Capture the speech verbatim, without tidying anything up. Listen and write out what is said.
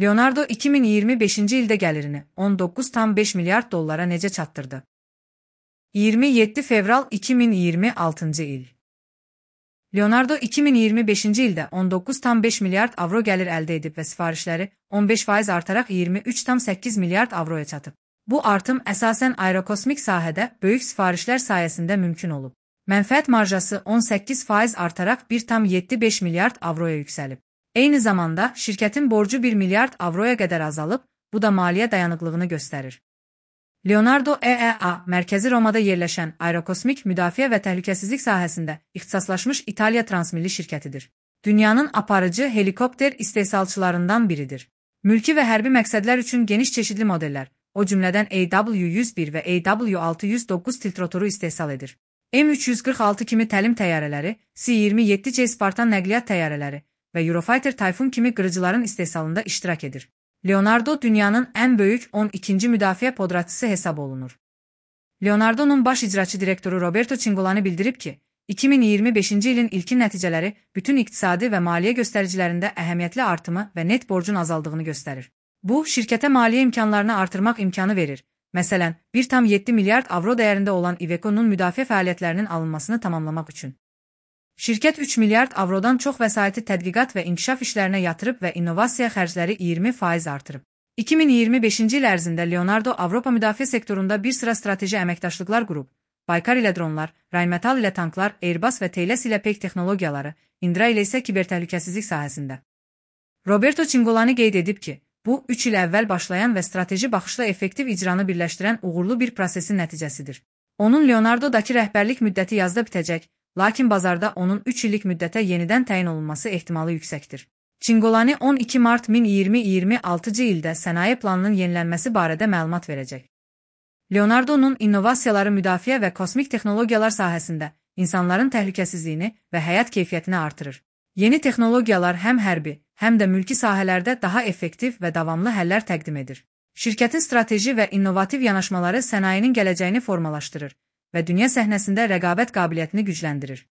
Leonardo iki min iyirmi beşinci ildə gəlirini on doqquz tam beş milyard dollara necə çatdırdı? iyirmi yeddi fevral iki min iyirmi altıncı il. Leonardo iki min iyirmi beşinci ildə on doqquz tam beş milyard avro gəlir əldə edib və sifarişləri on beş faiz artaraq iyirmi üç tam səkkiz milyard avroya çatıb. Bu artım əsasən aerokosmik sahədə böyük sifarişlər sayəsində mümkün olub. Mənfəət marjası on səkkiz faiz artaraq bir tam yeddi beş milyard avroya yüksəlib. Eyni zamanda şirkətin borcu bir milyard avroya qədər azalıb, bu da maliyyə dayanıqlığını göstərir. Leonardo E E A mərkəzi Romada yerləşən aerokosmik müdafiə və təhlükəsizlik sahəsində ixtisaslaşmış İtaliya transmilli şirkətidir. Dünyanın aparıcı helikopter istehsalçılarından biridir. Mülki və hərbi məqsədlər üçün geniş çeşidli modellər, o cümlədən A W yüz bir və A W altı yüz doqquz tiltrotoru istehsal edir. M üç yüz qırx altı kimi təlim təyyarələri, C iyirmi yeddi C Spartan nəqliyyat təyyarələri və Eurofighter Typhoon kimi qırıcıların istehsalında iştirak edir. Leonardo dünyanın ən böyük on ikinci müdafiə podratçısı hesab olunur. Leonardo'nun baş icraçı direktoru Roberto Cingolani bildirib ki, iki min iyirmi beşinci ilin ilkin nəticələri bütün iqtisadi və maliyyə göstəricilərində əhəmiyyətli artımı və net borcun azaldığını göstərir. Bu, şirkətə maliyyə imkanlarını artırmaq imkanı verir. Məsələn, bir tam yeddi milyard avro dəyərində olan Iveco'nun müdafiə fəaliyyətlərinin alınmasını tamamlamaq üçün. Şirkət üç milyard avrodan çox vəsaiti tədqiqat və inkişaf işlərinə yatırıb və innovasiya xərcləri iyirmi faiz artırıb. iki min iyirmi beşinci il ərzində Leonardo Avropa müdafiə sektorunda bir sıra strateji əməkdaşlıqlar qurub. Baykar ilə dronlar, Rheinmetall ilə tanklar, Airbus və Thales ilə peyk texnologiyaları, Indra ilə isə kibertəhlükəsizlik sahəsində. Roberto Cingolani qeyd edib ki, bu, üç il əvvəl başlayan və strateji baxışla effektiv icranı birləşdirən uğurlu bir prosesin nəticəsidir. Onun Leonardo'dakı rəhbərlik müddəti yazda bitəcək, lakin bazarda onun üç illik müddətə yenidən təyin olunması ehtimalı yüksəkdir. Cingolani on iki mart min iyirmi altıncı ildə sənaye planının yenilənməsi barədə məlumat verəcək. Leonardo'nun innovasiyaları müdafiə və kosmik texnologiyalar sahəsində insanların təhlükəsizliyini və həyat keyfiyyətini artırır. Yeni texnologiyalar həm hərbi, həm də mülki sahələrdə daha effektiv və davamlı həllər təqdim edir. Şirkətin strateji və innovativ yanaşmaları sənayenin gələcəyini formalaşdırır və dünya səhnəsində rəqabət qabiliyyətini gücləndirir.